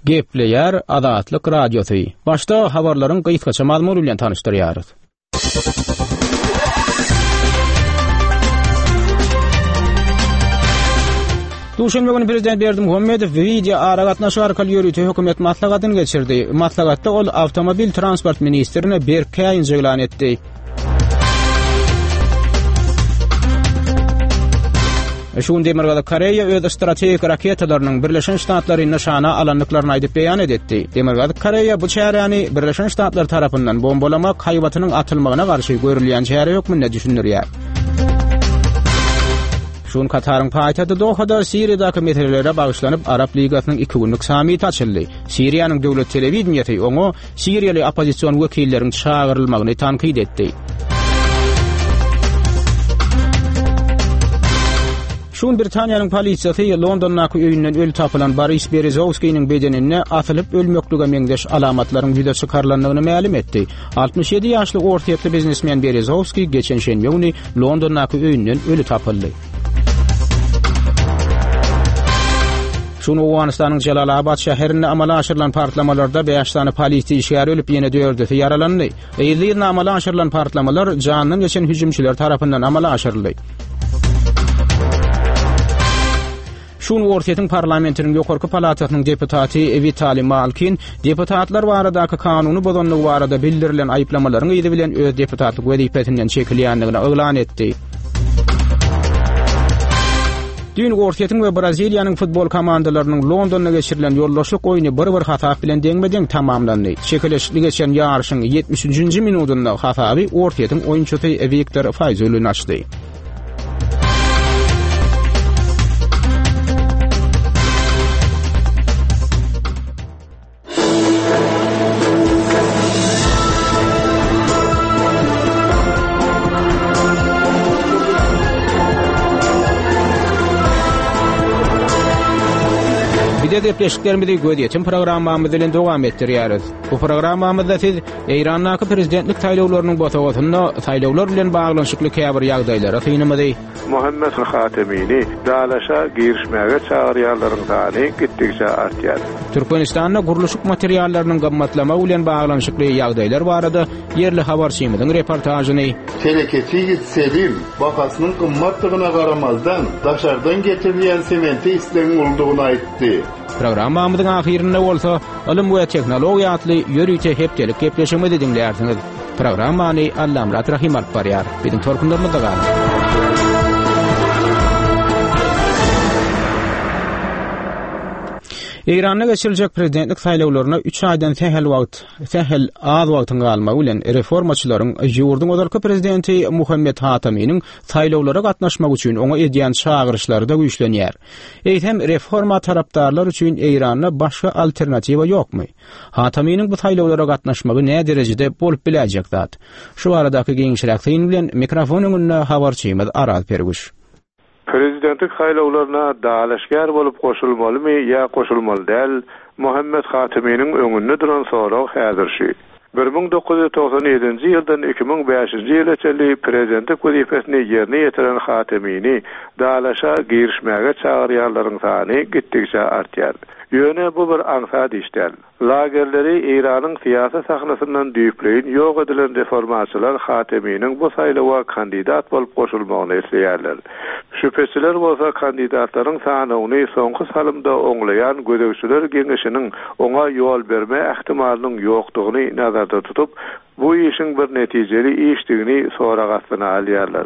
Gepleýär Azatlyk Radiosy. Başda habarlaryň gysgaça mazmuny bilen tanyşdyrýarys. Duşenbe güni prezident Berdimuhamedow wideo aragatnaşyk arkaly ýörite hökümet maslahatyny geçirdi. Maslahatda ol awtomobil transport ministrine berk käýinç yglan etdi. Şu gün Demirgazyk Koreýa öz strategik raketalarynyň Birleşen Ştatlary nyşana alandyklaryny aýdyp beýan edetdi. Demirgazyk Koreýa bu çäräni Birleşen Ştatlar tarapyndan bombalamak haýbatynyň atylmagyna garşy görülýän çäre hökmünde düşündirýär. Şu gün Kataryň paýtagty Dohada Siriýadaky meselelere bagyşlanyp Arap Ligasynyň iki günlük sammiti açyldy. Siriýanyň döwlet telewideniýesi oňa Siriýaly oppozision wekilleriň çagyrylmagyny tankyt etdi. Şu gün Britaniýanyň polisiýasy Londondaky öýünden öli tapylan Boris Berezowskiniň bedeninde asylyp ölmeklige meňzeş alamatlaryň ýüze çykarylandygyny mälim etdi. 67 ýaşly orsýetli biznesmen Berezowskiý geçen şenbe güni Londondaky öýünden öli tapyldy. Şu gün Owganystanyň Jelalabat şäherinde amala aşyrylan partlamalarda bäş sany polisiýa işgäri ölüp, ýene dördüsi ýaralandy. Yzly-yzyna amala aşyrylan partlamalar jandan geçen hüjümçiler tarapyndan amala aşyryldy. Şu gün Orsýetiň parlamentiniň ýokarky palatasynyň deputaty Witaliý Malkin deputatlar baradaky kanuny bozandygy barada bildirilen aýyplamalaryň yzy bilen öz deputatlyk wezipesinden çekilýändigini yglan etdi. Düýn Orsýetiň we Braziliýanyň futbol komandalarynyň Londonda geçirilen ýoldaşlyk oýny bir-bir hasap bilen deňme-deň tamamlandy. Çekeleşikli geçen ýaryşyň 73-nji minudynda hasaby Orsýetiň oýunçysy Wiktor Faýzulin açdy. Bize gepleşiklerimizi gözýetim programmamyz bilen dowam etdirýäris. Bu programmamyzda siz Eýrandaky prezidentlik saýlawlarynyň bosagasynda saýlawlar bilen baglanyşykly käbir ýagdaýlara synymyzy, Muhammet Hatemini dalaşa girişmäge çagyrýanlaryň sany gitdigiçe artýar. Türkmenistanda gurluşyk materiallarynyň gymmatlamagy bilen baglanyşykly ýagdaýlar barada ýerli habarçymyzyň reportažyny, Telekeçi ýigit Selim bahasynyň gymmatdygyna garamazdan, daşardan getirilýän semente islegiň uludygyny aýtdy. Programmamyzyň ahyrynda bolsa Ylym we tehnologiýa atly ýörite hepdelik gepleşigimizi diňlärsiňiz. Programmany Allamyrat Rahym alyp barýar. Biziň tolkunlarymyzda galyň. Eýranda geçiriljek prezidentlik saýlawlaryna üç aýdan sähel wagt, sähel az wagtyň galmagy bilen reformaçylaryň ýurduň ozalky prezidenti Muhammet Hataminiň saýlawlara gatnaşmak üçin oňa edýän çagyryşlary-da güýçlenýär. Eýsem, reforma tarapdarlar üçin Eýranda başga alternatiwa ýokmy? Hataminiň bu saýlawlara gatnaşmagy näderejede bolup biläýjek zat? Şu baradaky giňişräk syn bilen mikrofon öňünde habarçymyz Araz Perwüş. Prezidentlik saýlawlaryna dalaşgär bolup goşulmalymy ýa goşulmaly däl, Muhammet Hataminiň öňünde duran sorag häzir şu. 1997-nji ýyldan 2005-nji ýyla çenli prezidentlik wezipesini ýerine ýetiren Hatemini dalaşa girişmäge çagyrýanlaryň sany gitdigiçe artýar. Ýöne bu bir aňsat iş däl. Lagerleri Eýranyň syýasy sahnasyndan düýpleýin ýok edilen reformaçylar Hateminiň bu saýlawa kandidat bolup goşulmagyny isleýärler. Şübheçiler bolsa kandidatlaryň sanawyny soňky salymda oňlaýan gözegçiler geňeşiniň oňa ýol berme ähtimalynyň ýokdugyny nazarda tutup, bu işiň bir netijeli işdigini sorag astyna alýarlar.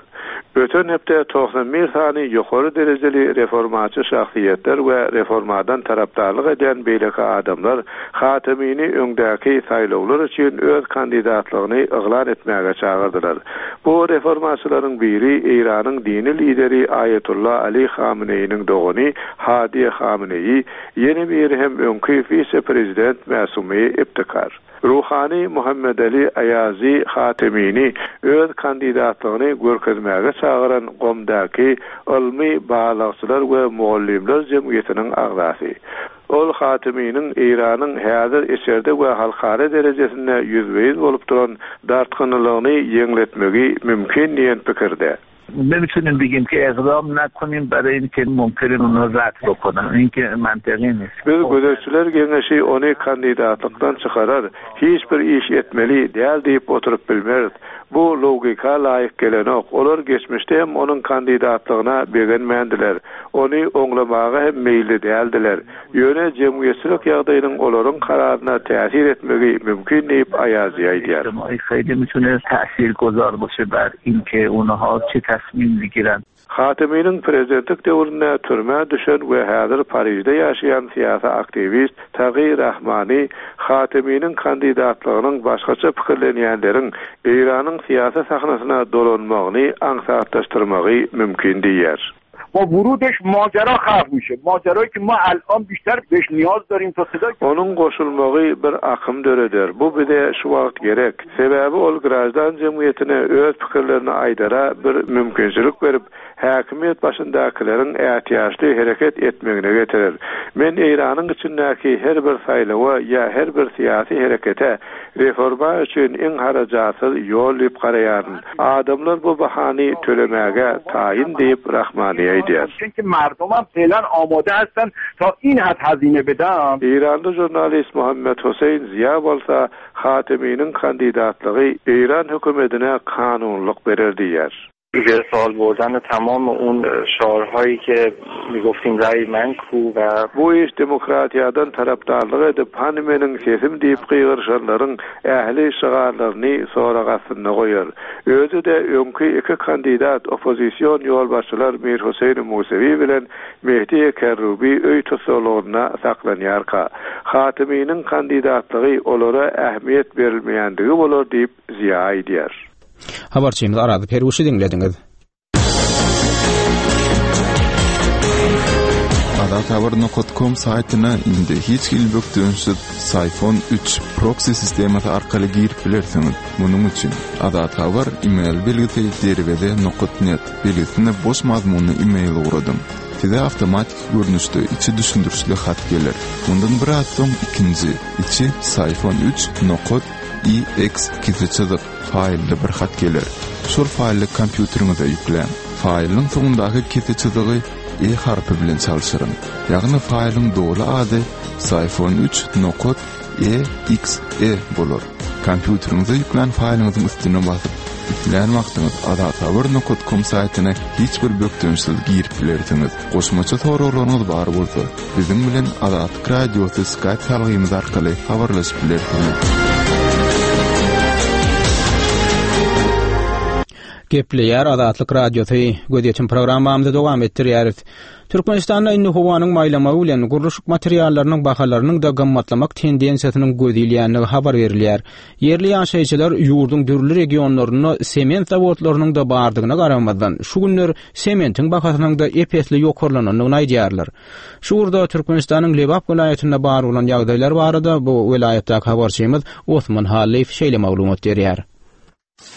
Öten hepde 91 sany ýokary derejeli reformaçy şahsyýetler we reformadan tarapdarlyk edýän beýleki adamlar Hatemini öňdäki saýlawlar üçin öz kandidatlygyny yglan etmäge çagyrdylar. Bu reformaçylaryň biri Eýranyň dini lideri Aýatolla Ali Hameneýiniň dogany Hadi Hameneýi, ýene biri hem öňki wise-prezident Mäsumi Ibtikar. Ruhany Muhammedali Aýazi Hatemini öz kandidatlygyny görkezmäge çagyran Gomdaky Ylmy barlagçylar we mugallymlar jemgyýetiniň agzasy. Ol Hateminiň Eýranyň häzir içerde we halkara derejesinde ýüzbe-ýüz bolup duran dartgynlylygyny ýeňletmegi mümkin diýen pikirde. نمیتونیم بگیم که اقدام نکنیم برای اینکه ممکنه اونا رد بکنن این که منطقی نیست. Biz gözegçiler geňeşi ony kandidatlykdan çykarar, hiç bir iş etmeli däl diýip oturyp bilmeris. Bu logika laýyk gelenok. Olar geçmişde hem onuň kandidatlygyna begenmändiler. Ony oňlamaga hem meýilli däldiler. Ýöne jemgyýetçilik ýagdaýynyň olaryň kararyna täsir etmegi mümkin diýip, Aýazi aýdýar. Hateminiň prezidentlik döwründe türmä düşen we häzir Parižde ýaşaýan syýasy aktiwist Tagi Rahmani Hateminiň kandidatlygynyň başgaça pikirlenýänleriň Eýranyň syýasy sahnasyna dolanmagyny aňsatlaşdyrmagy mümkin diýýär. با ورودش ماجرا خلق میشه ماجرایی که ما الان بیشتر بهش نیاز داریم تا صدای Onuň goşulmagy bir akym döreder. Bu bize şu wagt gerek. Sebäbi ol graždan jemgyýetine öz pikirlerini aýdara bir mümkinçilik berip, häkimiýet başyndakylaryň ätiýaçly hereket etmegine getirer. Men Eýranyň içindäki her bir saýlawa ýa her bir syýasy herekete reforma üçin iň harajatsyz ýol diýip garaýaryn. Adamlar bu bahany tölemäge taýyn diýip, Rahmani aýdýar. Eýranly žurnalist Muhammet Hoseýn Ziýa bolsa Hateminiň kandidatlygy Eýran hökümedine kanunylyk berer diýýär. زیر سوال بردن تمام اون شعارهایی که میگفتیم رأی من کو و Bu iş demokratiýadan tarapdarlyk edip, hany meniň sesim diýip gygyryşanlaryň ähli şygarlaryny sorag astynda goýar. Özi-de öňki iki kandidat oppozision ýolbaşçylar Mir Huseýn Musewi bilen Mehdi Kerrubi öý tussaglygynda saklanýarka, Hateminiň kandidatlygy olara ähmiýet berilmeýändigi bolar diýip, Ziýa aýdýar. Habarçymyz Araz Perwişi diňlediňiz. Azathabar nokat kom saýtyna indi hiç hili bökdençsiz Syfon üç proksi sistemasy arkaly girip bilersiňiz. Munuň üçin Azathabar email belgisi derweze nokat net belgisine boş mazmunly email ugradyň. Size awtomatiki görnüşde içi düşündirişli hat geler. Mundan biraz soň ikinji, içi Syfon üç nokat EX kese çyzyk faýlly bir hat geler. Şol faýly kompýuteriňize ýükläň. Faýlyň soňundaky kese çyzygy E harpy bilen çalşyryň. Ýagny faýlyň doly ady Syfon üç nokat EXE bolar. Kompýuteriňize ýüklän faýlyňyzyň üstüne basyp, islän wagtyňyz azathabar nokat kom saýtyna hiç bir bökdençsiz girip bilersiňiz. Goşmaça soraglaryňyz bar bolsa, biziň bilen Azatlyk Radiosy Skype salgymyz arkaly habarlaşyp bilersiňiz. Gepleýär Azatlyk Radiosy, Gözýetim programmamyzy dowam etdirýäris. Türkmenistanda indi howanyň maýlamagy bilen gurluşyk materiallarynyň bahalarynyň-da gymmatlamak tendensiýasynyň göz ilýändigi habar berilýär. Ýerli ýaşaýjylar ýurduň dürli regionlarynda sement zawodlarynyň-da bardygyna garamazdan, şu günler sementiň bahasynyň-da ep-esli ýokarlanandygyny aýdýarlar. Şu ugurda Türkmenistanyň Lebap welaýatynda bar bolan ýagdaýlar barada bu welaýatdaky habarçymyz Osman Hallyýew şeýle maglumat berýär.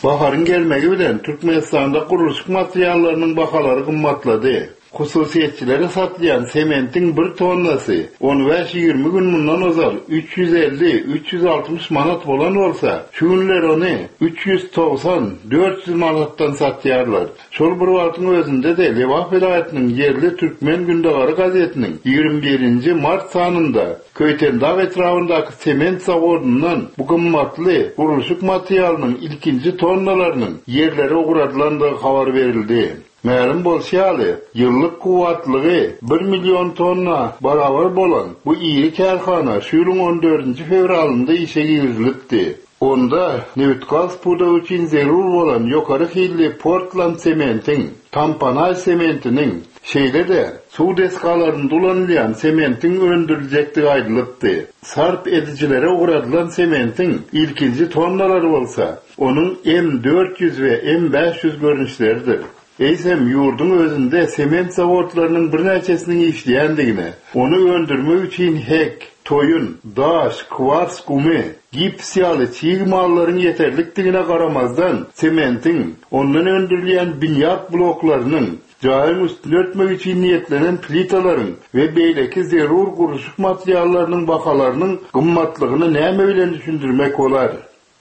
Baharyň gelmegi bilen Türkmenistanda gurluşyk materiallarynyň bahalary gymmatlady. Hususyýetçilere satylýan sementiň bir tonnasy on bäş-ýigrimi gün mundan ozal 350, 360 manat bolan bolsa, şu günler ony 390, 400 manatdan satýarlar. Şol bir wagtyň özünde-de Lebap welaýatynyň ýerli Türkmen gündogary gazetiniň ýigrimi birinji mart sanynda Köýtendag etrabyndaky sement zawodyndan bu gymmatly gurluşyk materialynyň ilkinji tonnalarynyň ýerlere ugradylandygy habar berildi. Mälim bolşy ýaly, ýyllyk kuwwatlygy bir million tonna barabar bolan bu iri kärhana şu ýylyň on dördünji fewralynda işe girizilipdi. Onda nebitgaz pudagy üçin zerur bolan ýokary hilli portland sementiň, tamponaj sementiniň, şeýle-de suw desgalarynda ulanylýan sementiň öndüriljekdigi aýdylypdy. Sarp edijilere ugradylan sementiň ilkinji tonnalary bolsa, onuň M 400 we M 500 görnüşleridir. Eýsem, ýurduň özünde sement zawodlarynyň birnäçesiniň işleýändigine, ony öndürmek üçin hek, toýun, daş, kwars gumy, gips ýaly çig mallaryň ýeterlikdigine garamazdan, sementiň, ondan öndürilýän binýat bloklarynyň, jaýyň üstüni örtmek üçin niýetlenen plitalaryň we beýleki zerur gurluşyk materiallarynyň bahalarynyň gymmatlygyny näme bilen düşündirmek bolar?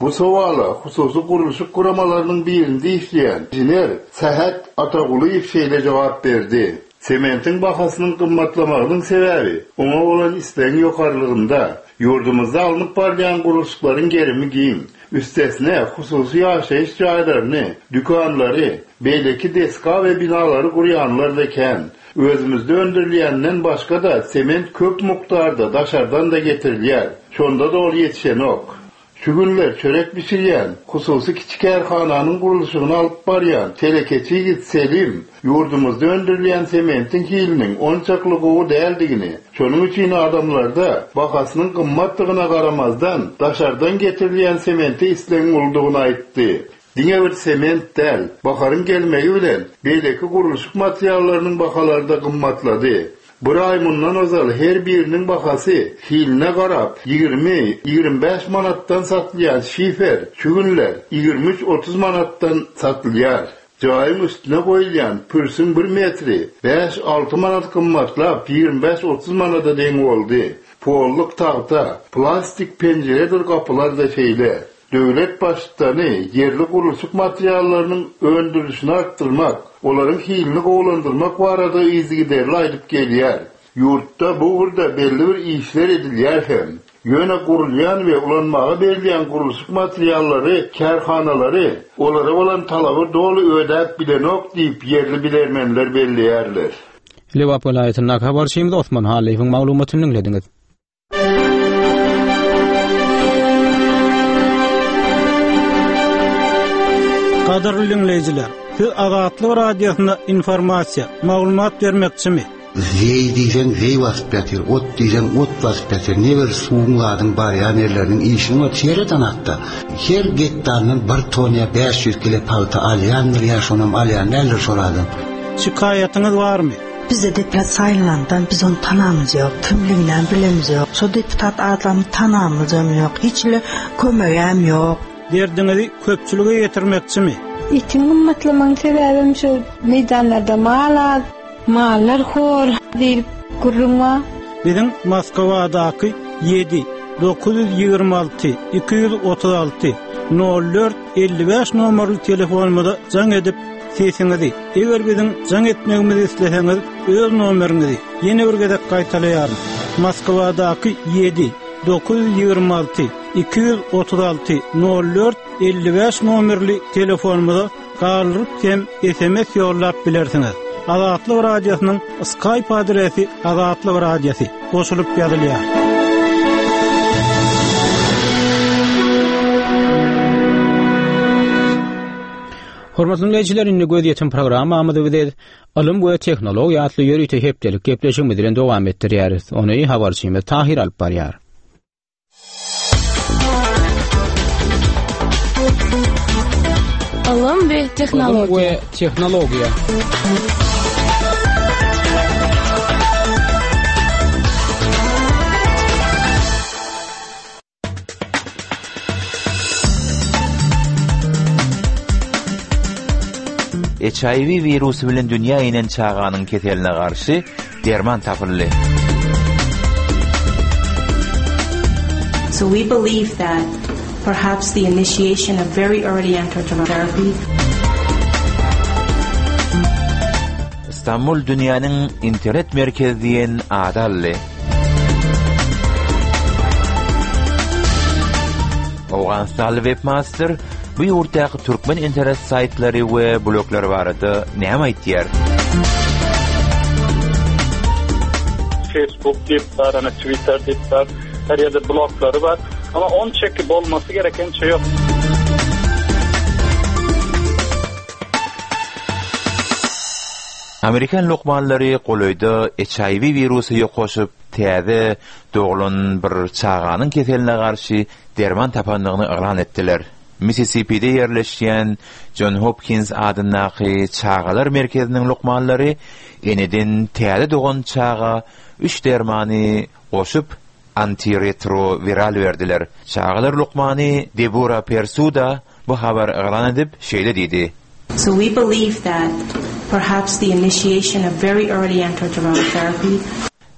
Bu sowala hususy gurluşyk guramalarynyň birinde işleýän inžener Sähet Atagulyýew şeýle jogap berdi, Sementiň bahasynyň gymmatlamagynyň sebäbi oňa bolan islegiň ýokarylygynda. Ýurdumyzda alnyp barylýan gurluşyklaryň gerimi giň. Üstesine, hususy ýaşaýyş jaýlaryny, dükanlary, beýleki desga we binalary gurýanlar-da kän. Özümizde öndürilýänden başga-da sement köp mukdarda daşardan-da getirilýär. Şonda-da ol ýetişenok. Şu günler çörek bişirýän, hususy kiçi kärhananyň gurluşygyny alyp barýan telekeçi ýigit Selim ýurdumyzda öndürilýän sementiň hiliniň onçakly gowy däldigini, şonuň üçin adamlarda bahasynyň gymmatdygyna garamazdan, daşardan getirilýän semente islegiň uludygyny aýtdy. Diňe bir sement däl, baharyň gelmegi bilen beýleki gurluşyk materiallarynyň bahalary-da gymmatlady. Bir aý mundan ozal her biriniň bahasy hiline garap 20, 25 manatdan satylýan şifer şu günler 23, 30 manatdan satylýar. Jaýyň üstüne goýulýan pürsüň bir metri bäş-alty manat gymmatlap 25-30 manada deň boldy. Polluk tagta, plastik penjiredir gapylar-da şeýle. Döwlet Baştutany ýerli gurluşyk materiallarynyň öndürilişini artdyrmak, olaryň hilini gowulandyrmak barada yzygiderli aýdyp gelýär. Ýurtda bu ugurda belli bir işler edilýär hem. Ýöne gurulýan we ulanmaga berilýän gurluşyk materiallary kärhanalary olara bolan talaby doly ödäp bilenok diýip ýerli bilermenler belleýärler. Lebap welaýatyndaky habarçymyz Osman Hallyýewiň maglumatyny diňlediňiz. Gadyrly diňleýjiler, siz Azatlyk Radiosynda informasiýa, maglumat bermekçimi? Zeý diýseň zeý basyp ýatyr, ot diýseň ot basyp ýatyr. Ne bir suwuň zadyň barýan ýerleriniň işini bor sereden hatda. Her gektaryndan bir ton ýa 500 kile pagta alýandyr ýa şonam alýan däldir şol adam. Şikaýatyňyz barmy? Bizde deputat saýlanandan biz ony tanamyz ýok, kimliginem bilemiz ýok. Şo deputat adamy tanamyzam ýok, hiç hili kömegem ýok. Derdiňizi köpçülige ýetirmekçimi? Etiň gymmatlamagyň sebäbem şu meýdanlarda mal az, mallar hor diýlip gürrüň bar. Biziň Moskwadaky 7 926 236 04 55 nomerli telefonymyza jaň edip, sesiňizi, eger biziň jaň etmegimizi isleseňiz, öz nomeriňizi ýene bir gezek gaýtalaýaryn, Moskwadaky 7 926 236 04 55 nomerli telefonymyza galdyryp hem sms ýollap bilersiňiz. Azatlyk Radiosynyň Skype adresi Azatlyk Radiosy goşulyp ýazylýar. Hormatly diňleýjiler, indi gözýetim programmamyzy biz Ylym we tehnologiýa atly ýörite hepdelik gepleşigimiz bilen dowam etdirýäris. Ony habarçymyz Tahir alyp barýar. Ylym we tehnologiýa. Ylym we tehnologiýa. HIV wirusy bilen dünýä inen çaganyň keseline garşy derman tapyldy. So we believe that perhaps the initiation of very early antiretroviral therapy Stambul dünýäniň internet merkezi diýen ady aldy. Owganystanly webmaster bu ýurtdaky türkmen internet saýtlary we bloglary barada näme aýtýar? Facebook diýip bar, ana Twitter diýip bar, her ýerde bloglary bar. Ama on çeki bolmasy gerek ençe ýok. Amerikan lukmanlary golaýda HIV wirusy ýokaşyp, täze doglan bir çaganyň keseline garşy derman tapandygyny yglan etdiler. Mississipide ýerleşýän Jon Hopkins adyndaky çagalar merkeziniň lukmanlary eneden täze dogan çaga üç dermany goşup, antiretrowiral berdiler. Çagalar lukmany Debora Persuda bu habary yglan edip, şeýle diýdi. So we believe that perhaps the initiation of very early antiretroviral therapy.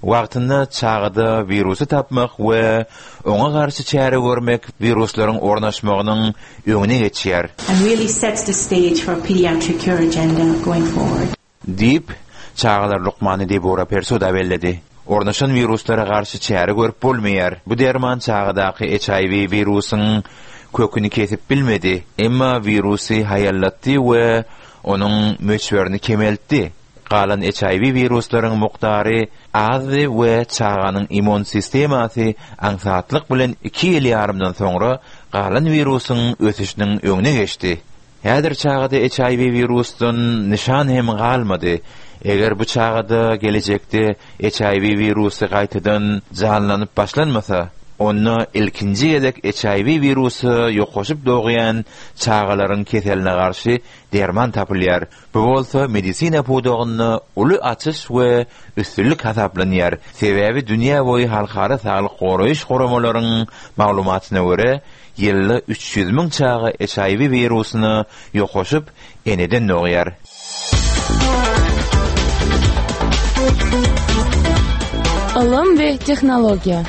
Wagtynda çagada wirusy tapmak we oňa garşy çäre görmek wiruslaryň ornaşmagynyň öňüne geçýär. And really sets the stage for a pediatric cure agenda going forward. Diýip, çagalar lukmany Debora Persuda belledi. Ornaşan wiruslara garşy çäre görüp bolmaýar. Bu derman çagadaky HIV wirusyň köküni kesip bilmedi, emma wirusy haýallatdy we onuň möçberini kemeltdi. Galan HIV wiruslaryň mukdary azdy we çaganyň immun sistemasy aňsatlyk bilen iki ýyl ýarymdan soňra galan wirusyň ösüşiniň öňüne geçdi. Häzir çagada HIV wirusdan nyşan hem galmady. Eger bu çagada gelejekde HIV wirusy gaýtadan janlanyp başlanmasa, onda ilkinji gezek HIV wirusy ýokaşyp dogýan çagalaryň keseline garşy derman tapylýar. Bu bolsa medisina pudagynda uly açyş we üstünlik hasaplanýar, sebäbi dünýä boýy halkara saglyk goraýyş guramalaryň maglumatyna görä, ýylda 300 müň çaga HIV wirusyna ýokaşyp, eneden dogýar. Ylym we tehnologiýa.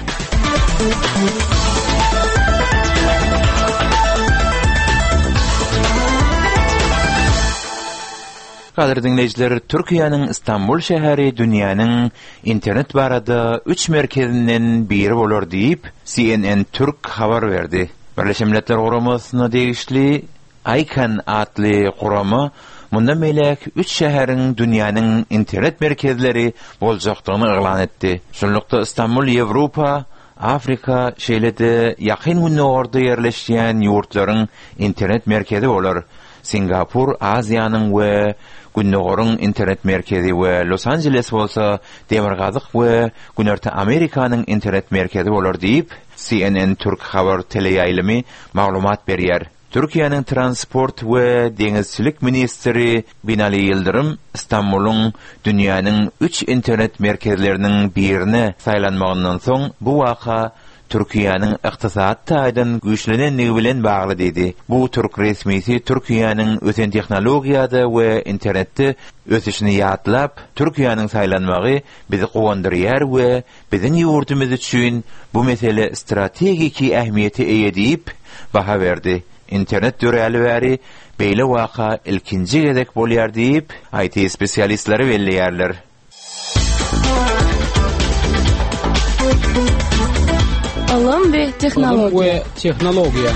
Gadyrly diňleýjiler, Türkiýäniň Stambul şäheri dünýäniň internet barada üç merkezinden biri bolar diýip, CNN Türk habar berdi. Birleşen Milletler Guramasyna degişli ICANN atly gurama mundan beýläk üç şäheriň dünýäniň internet merkezleri boljakdygyny yglan etdi. Şunlukda Stambul Ýewropa, Afrika, şeýle-de Ýakyn Gündogarda ýerleşýän ýurtlaryň internet merkezi bolar. Singapur Aziýanyň we Gündogaryň internet merkezi we Los-Anjeles bolsa Demirgazyk we Günorta Amerikanyň internet merkezi bolar diýip, CNN Türk habar teleýaýlymy maglumat berýär. Türkiýäniň transport we deňizçilik ministri Binali Ýyldyrym Stambulyň dünýäniň üç internet merkezleriniň birine saýlanmagyndan soň bu waka Türkiýäniň ykdysady taýdan güýçlenendigi bilen bagly diýdi. Bu türk resmisi Türkiýäniň ösen tehnologiýada we internetde ösüşini ýatlap, Türkiýäniň saýlanmagy bizi guwandyrýar we biziň ýurdumyz üçin bu mesele strategiki ähmiýete eýe diýip, baha berdi. Internet döräli bäri beýle waka ilkinji gezek bolýar diýip, IT-spesialistleri belleýärler. Ylym we tehnologiýa. Ylym we tehnologiýa.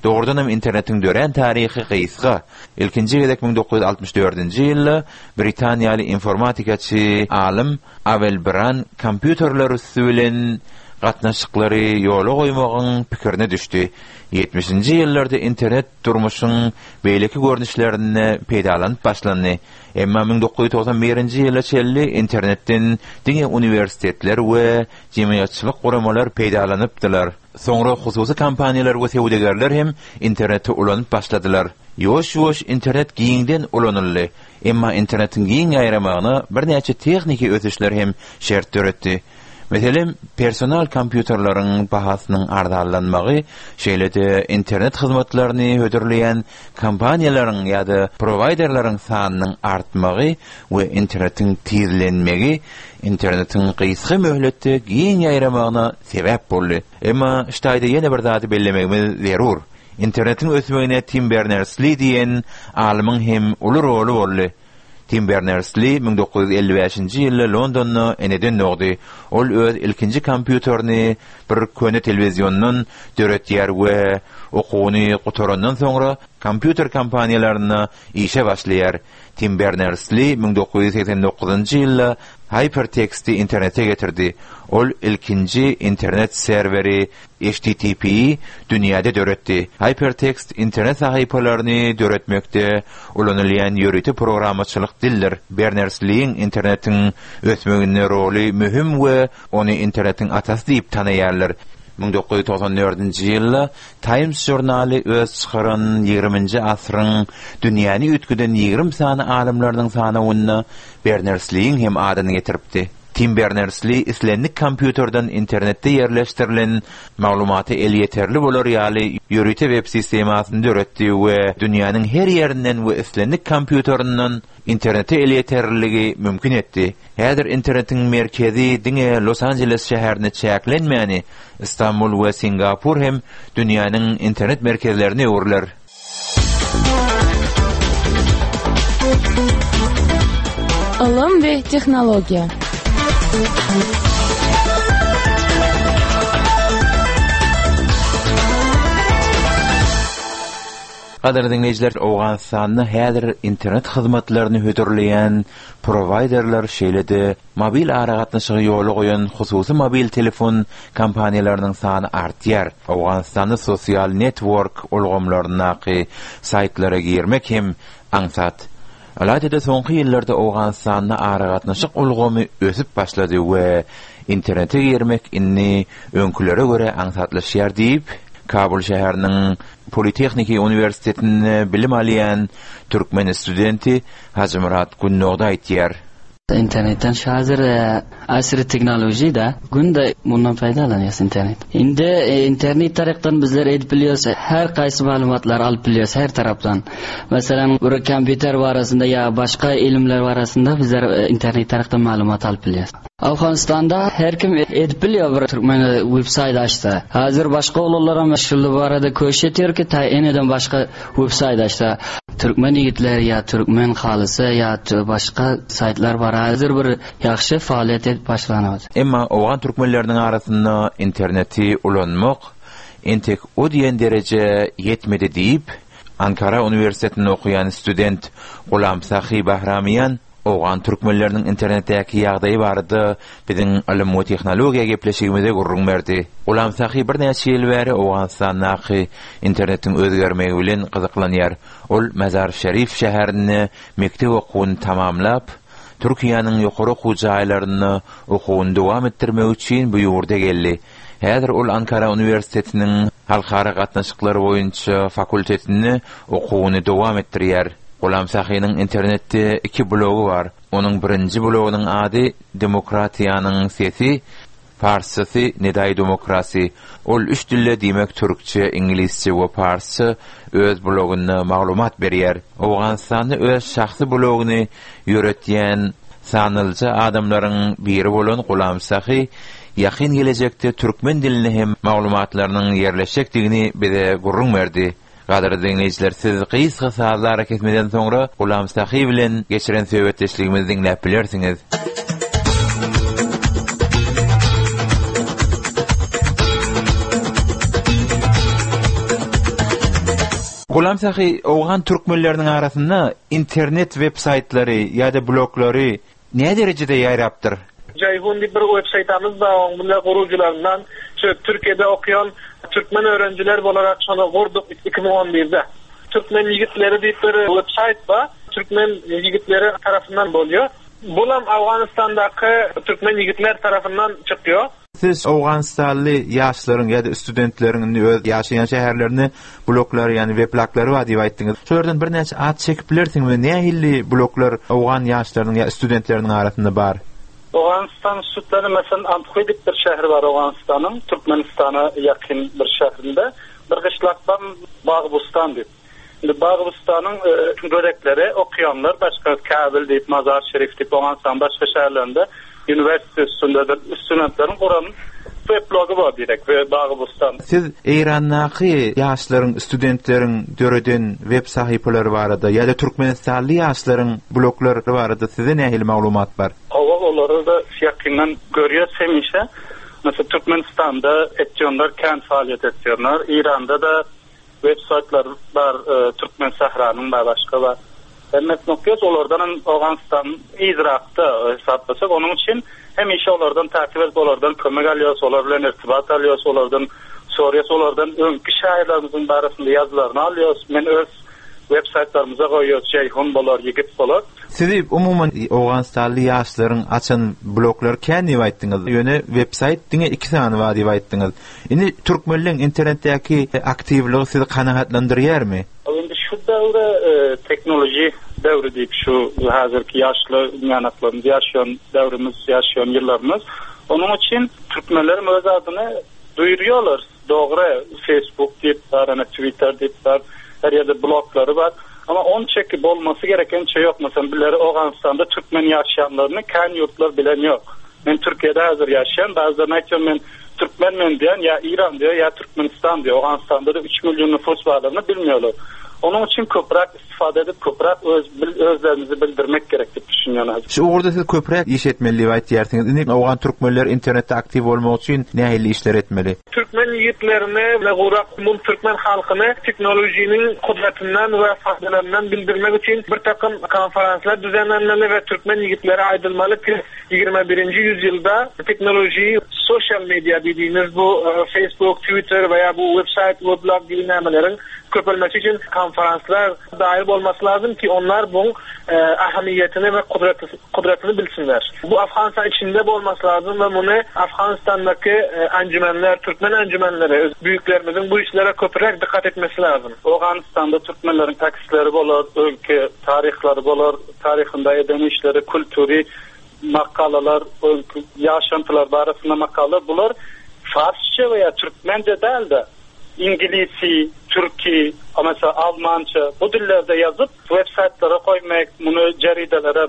Dogrudanam internetiň dörän taryhy gysga. Ilkinji gezek 1964-nji ýylda britaniýaly informatikaçy alym Awel Bran kompýuterler üsti bilen gatnaşyklary ýola goýmagyň pikirine düşdi. Ýetmişinji ýyllarda internet durmuşyň beýleki görnüşlerinde peýdalanyp başlandy. Emma 1991-nji ýyla çenli internetden diňe uniwersitetler we jemgyýetçilik guramalar peýdalanypdylar. Soňra hususy kompaniýalar we söwdagärler hem interneti ulanyp başladylar. Ýuwaş-ýuwaş internet giňden ulanyldy. Emma internetiň giň ýaýramagyna birnäçe tehniki ösüşler hem şert döretdi. Meselem, personal kompýuterleriň bahasynyň arzanlanmagy, şeýle-de internet hyzmatlaryny hödürleýän kompaniýalaryň ýa-da prowaýderleriň sanynyň artmagy we internetiň tizlenmegi internetiň gysga möhletde giň ýaýramagyna sebäp boldy. Emma şu taýda ýene bir zady bellemegimiz zerur. Internetiň ösmegine Tim Berners-Li diýen alymyň hem uly roly boldy. Tim Berners-Li 1955-nji ýylda Londonda eneden dogdy. Ol öz ilkinji kompýuterini bir köne telewiziondan döretýär we okuwyny gutarandan soňra kompýuter kompaniýalarynda işe başlaýar. Tim Berners-Li 1989-njy ýylda haýperteksti internete getirdi. Ol ilkinji internet serweri HTTP-i dünýäde döretdi. Haýpertekst internet sahypalaryny döretmekde ulanylýan ýörite programmaçylyk dildir. Berners-Liň internetiň ösmeginde roly möhüm we ony internetiň atasy diýip tanaýarlar. 1994-nji ýylda Times žurnaly öz çykaran ýigriminji asyryň dünýäni üýtgeden 20 sany alymlarynyň sanawynda Berners-Liň hem adyny getiripdi. Tim Berners-Li islendik kompýuterden internetde ýerleşdirilen maglumata elýeterli bolar ýaly ýörite web sistemasyny döretdi we dünýäniň her ýerinden we islendik kompýuterinden internete elýeterliligi mümkin etdi. Häzir internetiň merkezi diňe Los-Anjeles şäherinde çäklenmäni, Stambul we Singapur hem dünýäniň internet merkezlerine öwrüler. Ylym we tehnologiýa. Gadyrly diňleýjiler, Owganystanda häzir internet hyzmatlaryny hödürleýän prowaýderler, şeýle-de Mobil aragatnaşygy ýola goýan hususy mobil telefon kompaniýalarynyň sany artýar. Owganystanda sosial network ulgamlaryndaky saýtlara girmek hem aňsat. Ylaýta-da soňky ýyllarda Owganystanda aragatnaşyk ulgamy ösüp başlady we internete girmek indi öňkülere görä aňsatlaşýar diýip, Kabul şäheriniň Politehniki uniwersitetinde bilim alýan türkmen studenti Hajymyrat Gündogdy aýtýar. Internetden şu hazir asyry tehnoloji da günde mundan peýdalanýas internet. Indi internet tarapdan bizler edip bilýäs her gaýsy maglumatlary alyp bilýäs her tarapdan. Meselem bir kompýuter barasynda ýa başga ilimler barasynda bizler internet tarapdan maglumat alyp bilýäs. Awganystanda her kim edip bilýär bir türkmen web saýt açsa. Hazir başga oglanlaram şul barada köşiş etýär ki ta eneden başga Web saýt açsa Türkmen ýigitleri ýa Türkmen halysy ýa başga saýtlar bar hazir bir ýagşy faaliýet edip başlanypdyr. Emma owgan türkmenleriniň arasynda interneti ulanmak entek o diýen derejä ýetmedi diýip, Ankara uniwersitetinde okaýan student Gulam Sahy Bahramiýan Owgan türkmenleriniň internetdäki ýagdaýy barada biziň Ylym we tehnologiýa gepleşigimizde gürrüň berdi. Gulam Sahy birnäçe ýyl bäri Owganystandaky internetiň özgermegi bilen gyzyklanýar. Ol Mazar-Şerif şäherinde mekdep okuwyny tamamlap, Türkiýäniň ýokary okuw jaýlarynda okuwyny dowam etdirmek üçin bu ýurda geldi. Häzir ol Ankara uniwersitetiniň Halkara gatnaşyklary boýunça fakultetinde okuwyny dowam etdirýär. Gulam Sahynyň internetde iki blogy bar. Onuň birinji blogynyň ady Demokratiýanyň sesi, parsçasy Nedai Demokrasi. Ol üç dilde diýmek türkçe, iňlisçe we parsça öz blogynda maglumat berýär. Owganystanda öz şahsy blogyny ýöretýän sanlyja adamlaryň biri bolan Gulam Sahy ýakyn gelejekde türkmen dilinde hem maglumatlarynyň ýerleşjekdigini bize gürrüň berdi. Gadyrly diňleýjiler, siz gysga sazly arakesmeden soňra Gulam Sahy bilen geçiren söhbetdeşligimizi diňläp bilersiňiz. Gulam Sahy, owgan türkmenleriniň arasynda internet web saýtlary ýa-da bloglary Näderejede ýaýrapdyr? Jaýhun diýip bir web saýtamyz bar, oň bile gurujylaryndan şu Türkiýede okýan türkmen öwrenjiler bolarak şony gurduk 2011-de. Türkmen ýigitleri diýip bir web saýt bar, türkmen ýigitleri tarapyndan bolýar. Bulam Awganystandaky türkmen ýigitler tarapyndan çykýar. Siz owganystanly ýaşlaryň ýa-da studentleriň indi öz ýaşaýan şäherlerinde bloglary, ýagny webloglary bar diýip aýtdyňyz. Şolardan birnäçe at çekip bilersiňizmi? Nähili bloglar owgan ýaşlarynyň ýa studentleriniň arasynda bar? Owganystan studentleri, meselem, Anthuý diýip bir şäheri bar Owganystanyň, Türkmenistana ýakyn bir şährinde. Bir gyşlak bar Bagbustan diýip. Indi Bagybystanyň görekleri okaýanlar başga Käbil diýip, Mazar Şerif diýip Owganystanyň başga şäherlerinde uniwersite üstünde studentleriň guran weblogy bar direkt we Bagybystan. Siz Eýrandaky ýaşlaryň, studentleriň döreden web sahypalary barada ýa-da türkmenistanly ýaşlaryň bloglary barada sizde nähili maglumat bar? Hawa olary-da ýakyndan görýäs hemişe. Mesela Türkmenistanda etýonlar kän faaliýet etýonlar. Eýranda-da Web saýtlar bar Türkmen sähranyň bar başga bar. Hemmesini okýas olardanam Owganystan yzrakda hesaplasak onuň üçin hemişe olardan takip edip olardan kömek alýas olar bilen irtibat alýas olardan soraýas olardan öňki şaýyrlarymyzyň barasynda ýazgylaryny alýas men öz web saýtlarymyza goýýas Jeýhun bolar ýigit bolar. Sizi umuman Owganystanly ýaşlaryň açan bloglary kän diýip aýtdyňyz ýöne web saýt diňe iki sany bar diýip aýtdyňyz. Indi türkmenleň internetdäki aktiwligi sizi kanagatlandyrýarmy? Indi şu döwre teknoloji. döwri diýip şu häzirki ýaşly ýanaklarymyz ýaşaýan döwrümiz, ýaşaýan ýyllarymyz. Onuň üçin türkmenlerem öz adyny duýurýarlar. Dogry, Facebook diýip bar, ana Twitter diýip bar, her ýerde bloglary bar. Amma onçaki bolmasy gerek ençe ýok. Meselem, bileri Owganystanda türkmen ýaşaýanlaryny kän ýurtlar bilen ýok. Men Türkiýede häzir ýaşaýan, bazılaryna aýtýan men türkmen men diýen, ýa Iran diýýär, ýa Türkmenistan diýýär. Owganystanda-da üç million nüfus barlygyny bilmiýorlar. Onuň üçin köpräk istifade edip, köpräk öz özlerimizi bildirmek gerek diýip düşünýän häzir. Şu ugurda siz köpräk iş etmeli diýip aýtýarsyňyz. Indi owgan türkmenleri internetde aktiw bolmak üçin nähili işler etmeli? Türkmen ýigitlerini we gurak umum türkmen halkyny tehnolojiniň gudratyndan we faýdalaryndan bildirmek üçin bir takym konferanslar düzenlenmeli we türkmen ýigitleri aýdylmaly ki 21-nji ýüzýylda tehnoloji sosial media diýdigimiz bu Facebook, Twitter we ýa bu websaýt, weblog gibi nämeleriň köpelmesi üçin konferanslar daýyr bolmasy lazym ki onlar buň ähmiýetini we kudratyny bilsinler. Bu Afganistan içinde bolmasy lazym we muny Afganistandaky enjümenler, türkmen enjümenleri, büyüklerimiziň bu işlere köpräk dykgat etmesi lazym. Owganystanda türkmenleriň tekstleri bolar, öňki taryhlary bolar, taryhynda eden işleri, kultury makalalar, öňki ýaşantylar barasynda makalalar, bular farsça we ýa türkmence däl-de, iňlisi, türki, meselem, almança bu dillerde ýazyp, web saýtlara goýmak, muny jaridelere,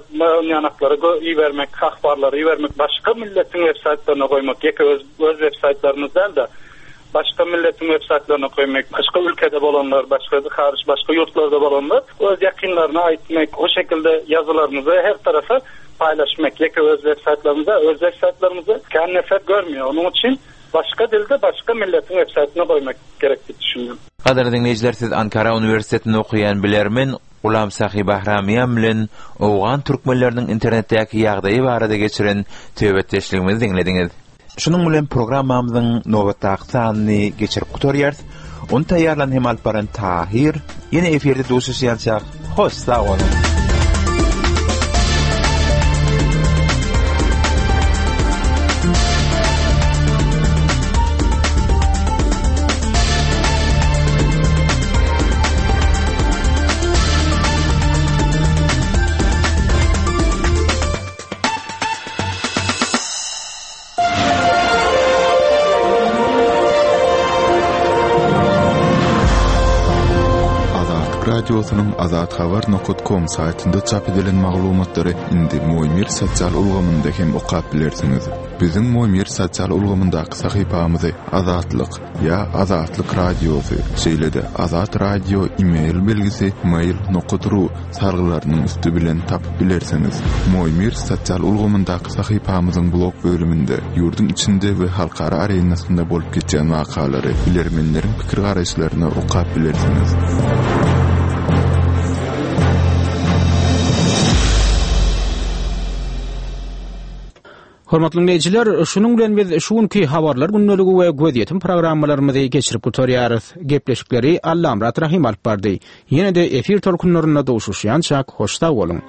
ýanaklara ibermek, ahbarlary ibermek, başga milletiň web saýtlaryna goýmak, ýeke öz öz web saýtlarymyz däl-de, başga milletiň web saýtlaryna goýmak, başga ülkede bolanlar, başga haryç, başga ýurtlarda bolanlar öz ýakynlaryna aýtmak, o şekilde ýazylarymyzy her tarapa paýlaşmak, ýeke öz web saýtlarymyzda, öz web saýtlarymyzy kän nefer görmeýär, onuň üçin başga dilde başga milletiň web saýtyna goýmak gerek diýip düşünýän. Gadyrly diňleýjiler siz Ankara uniwersitetinde okaýan bilermen Gulam Sahy Bahramiýan bilen owgan türkmenleriniň internetdäki ýagdaýy barada geçiren söhbetdeşligimizi diňlediňiz. Şunuň bilen programmamyzyň nobatdaky sanyny geçirip gutarýarys. Ony taýýarlan hem alyp baran Tahyr. Ýene efirde duşuşýançak, hoş sag boluň! Azatlyk Radiosynyň azathabar nokat kom saýtynda çap edilen maglumatlary indi Moýmir sosial ulgamynda hem okap bilersiňiz. Biziň Moýmir sosial ulgamyndaky sahypamyzy Azatlyk ýa Azatlyk Radiosy, şeýle-de Azat Radio e-mail belgisi mail nokat ru salgylarynyň üsti bilen tapyp bilersiňiz. Moýmir sosial ulgamyndaky sahypamyzyň blog bölüminde ýurduň içinde we halkara arenasynda bolup geçýän wakalary, bilermenleriň pikir-garaýyşlaryny okap bilersiňiz. Hormatly diňleýjiler, şunuň bilen biz şu günki Habarlar gündeligi we Gözýetim programmalarymyzy geçirip gutarýarys. Gepleşikleri Allamyrat Rahym alyp bardy. Ýene-de efir tolkunlarynda duşuşýançak hoş sag boluň!